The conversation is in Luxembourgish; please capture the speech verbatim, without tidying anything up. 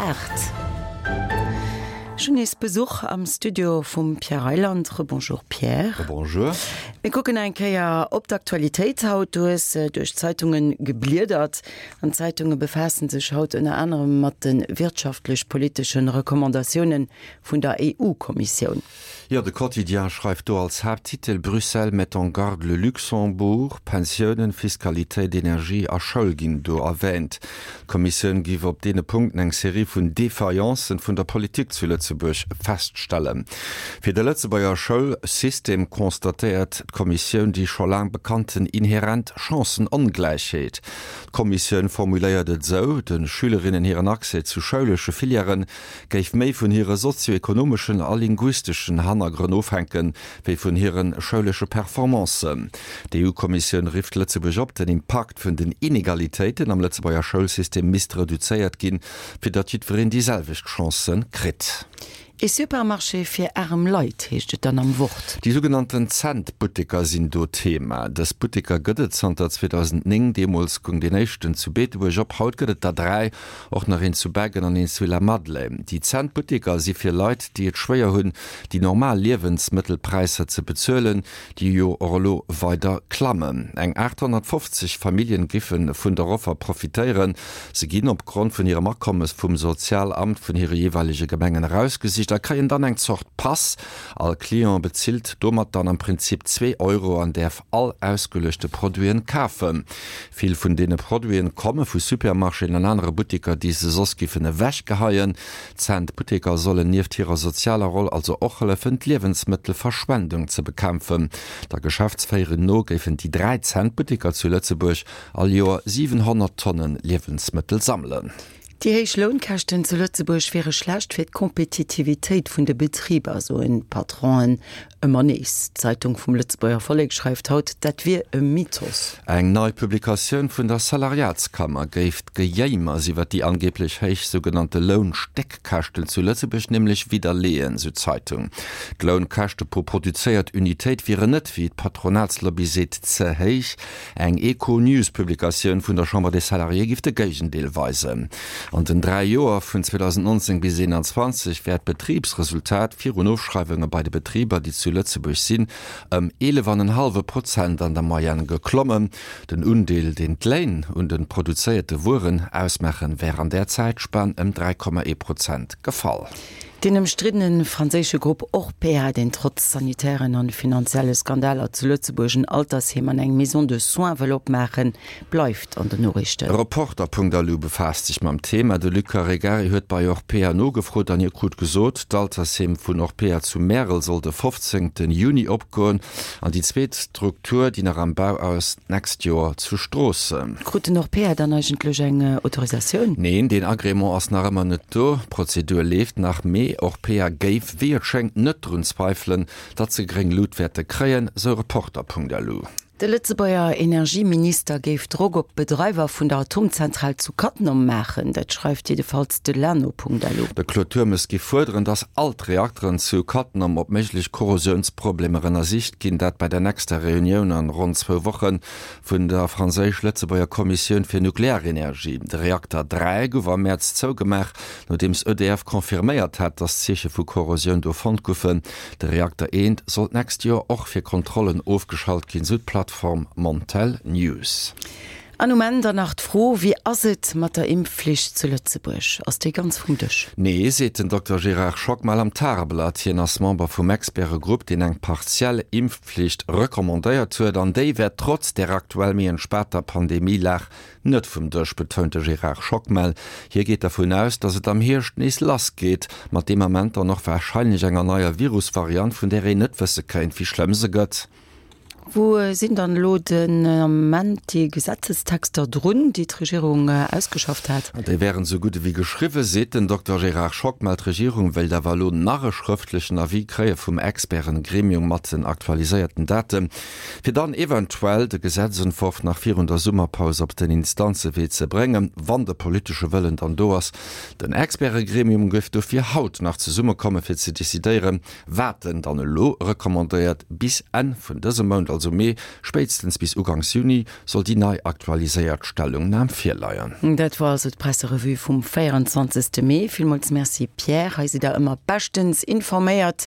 aacht. Ech hunn nees Besuch am Studio vum Pierre Reyland. Rebonjour Pierre. Rebonjour. Mir kucken eng Kéier op d'Aktualitéit haut. Du hues duerch d'Zeitunge gebliedert an d'Zeitunge befaassen sech haut ënner anerem mat de wirtschaftlech-politesche Recommandatioune vun der EU-Kommissioun. Jo, de Quotidien schreift do als Haapttitel, Bruxelles met en garde le Luxembourg. Pensiounen, Fiskalitéit, Energie a Schoul ginn do erwäänt. D'Kommissioun giff op deene Punkten eng Serie vun Défaillances vun der Politik zu Lëtzebuerg feststellen. Fir de Lëtzebuerger Schoulsystem constatéiert d'Kommissioun déi scho laang bekannten inherent Chancenongläichheet. D'Kommissioun formuléiert et esou, De Schülerinnen hiren Accès zu schoulesche Filièrë géif méi vun hire sozio-ekonomeschen a linguisteschen Hannergrënn ofhänken, wéi vun hire schoulesche Performancen. D'EU-Kommissioun rifft Lëtzebuerg op, den Impakt vun den Inegalitéiten am Lëtzebuerger Schoulsystem misst reduzéiert ginn, fir datt jiddwereen déi selwecht Chancë kritt. Ee Supermarché fir aarem Leit, heescht et dann am Wort. Déi sougenannten Cent-Butteker sinn do Thema. Dës Butteker gëtt et zanter zweedausendnéng Deemools goung deen éischten zu Beetebuerg op. Haut gëtt et der dräi, och nach een zu Beggen an een zu Lamadelaine. Déi Cent-Butteker si fir Leit, déi et schwéier hunn, déi normal Liewensmëttelpräisser ze bezuelen, déi jo och elo weider klammen. Eng aathonnertfofzeg Familljen giffe vun der Offer profitéieren. Se ginn opgrond vun hirem Akommes vum Sozialamt vun hire jeeweilege Gemengen erausgesicht a kréien dann eng Zort Pass. All Client bezilt domat dann am Prinzip zwee Euro an däerf all ausgeluechte Produiten kafen. Vill vun deene Produiten komme vu Supermarchéen an anere Butteker, déi se soss giffen ewechgeheien. D'Cent-Butteker sollen nieft hirer sozialer Roll also och hëllefen, d'Liewensmëttelverschwendung ze bekämpfen. Der Geschäftsféierung no géifen déi dräi Cent-Butteker zu Lëtzebuerg all Joer siwenhonnert Tonnen Liewensmëttel sammelen. Déi héich Lounkäschten zu Lëtzebuerg wiere schlecht fir d'Kompetitivitéit vun de Betriber, soen d'Patronen ëmmer nees. D'Zeitung vum Lëtzebuerger Vollek schreift haut, dat wier e Mythos. Eng nei Publikatioun vun der Salariatskammer géif d'Gejéimers iwwer déi angeeblech héich sougenannte Lounstéckkäschten zu Lëtzebuerg nämlech widderleeën, sou d'Zeitung. D'Lounkäschte pro produzéiert Unitéit wieren net, wéi d'Patronatslobby seet, ze héich. Eng Econews-Publikatioun vun der Chambre des Salariés giff de Géigendeel weisen. An den dräi Joer vun zweedausendnonzéng bis eenanzwanzeg wär d'Betribsresultat virun Ofschreiwunge bei de Betriber, déi zu Lëtzebuerg sinn, ëm eelef an en hallwe Prozent an der Moyenne geklommen. Den Undeel, deen d'Léin un de produzéierte Wueren ausmaachen, wär an där Zäitspan ëm dräi Komma ee Prozent gefall. Deen ëmstriddene franséische Grupp Orpea, deen trotz sanitären an finanzielle Skandaler zu Lëtzebuerg en Altersheem an eng Maison de soins wëll opmaachen, bleift an den Noriichten. Reporter.lu befaasst sech mam Thema. De Luc Caregari huet bei Orpea nogefrot an hie krut gesot, d'Altersheem vun Orpea zu Märel soll de fofzéngte Juni opgoen an déi zweet Struktur, déi nach am Bau ass, d'nächst Joer zu Stroossen. Krut den Orpea dann eigentlech eng Autorisatioun? Neen, deen Agrément ass nach ëmmer net do. D'Prozedur leeft nach, mee Orpea géif, wéi et schéngt, net drun zweifelen, datt se gréng Lut wäerte kréien, sou Reporter.lu. De Lëtzebuerger Energieminister géif Drock op d'Bedreiwer vun der Atomzentral zu Cattenom maachen. Dat schreift jiddefalls de Lano.lu. De Claude Turmes géif fuerderen, datt all d'Reakteren zu Cattenom op méiglech Korrosiounsproblemer ënnersicht ginn, dat bei der nächster Reunioun an ronn zwou Woche vun der franséisch-lëtzebuerger Kommissioun fir Nuklearenergie. De Reakter dräi gouf am Mäerz zougemaach, nodeems E D F confirméiert hat, datt Zeeche vu Korrosioun do fonnt goufen. De Reakter eent soll d'nächst Joer och fir Kontrollen ofgeschalt ginn, sou d'Plattform Montel News. An um Enn dann nach d'Fro, Wéi ass et mat der Impfflicht zu Lëtzebuerg? Ass déi ganz vum Dësch? Nee, seet den Dokter Gérard Schockmel am Tageblatt. Hien ass Member vum Expertegrupp, deen eng partiell Impfflicht recommandéiert huet. An déi wär trotz der aktuell méi entspaanter Pandemie-Lag net vum Dësch, betount de Gérard Schockmel. Hie geet dervun aus, datt et am Hierscht nees lass geet, mat deem Ament dann och warscheinlech enger neier Virusvariant, vun där een net wësse kéint, wéi schlëmm se gëtt. Wou sinn dann elo den Ament déi Gesetzestexter drun, déi d'Regierung ausgeschafft hat? Déi wären esou gutt ewéi geschriwwen, seet den Dokter Gérard Schockmel. D'Regierung wéilt awer elo nach e schrëftlechen Avis kréie vum Experten-Gremium mat den aktualiséierten Daten, fir dann eventuell de Gesetzentworf nach virun der Summerpaus op den Instanzewee ze bréngen, wann de politesche Wëllen dann do ass. Den Expertegremium géif dofir haut nach zesummekommen, fir ze decidéieren, wat en dann elo recommandéiert, bis Enn vun dësem Mount, also Mee, spéitstens bis uganks Juni soll déi nei aktualiséiert Stellungnam virleien. Dat war also d'Presserevue vum véierundzwanzegste Mee. Villmools Merci Pierre, hei sidd der ëmmer beschtens informéiert.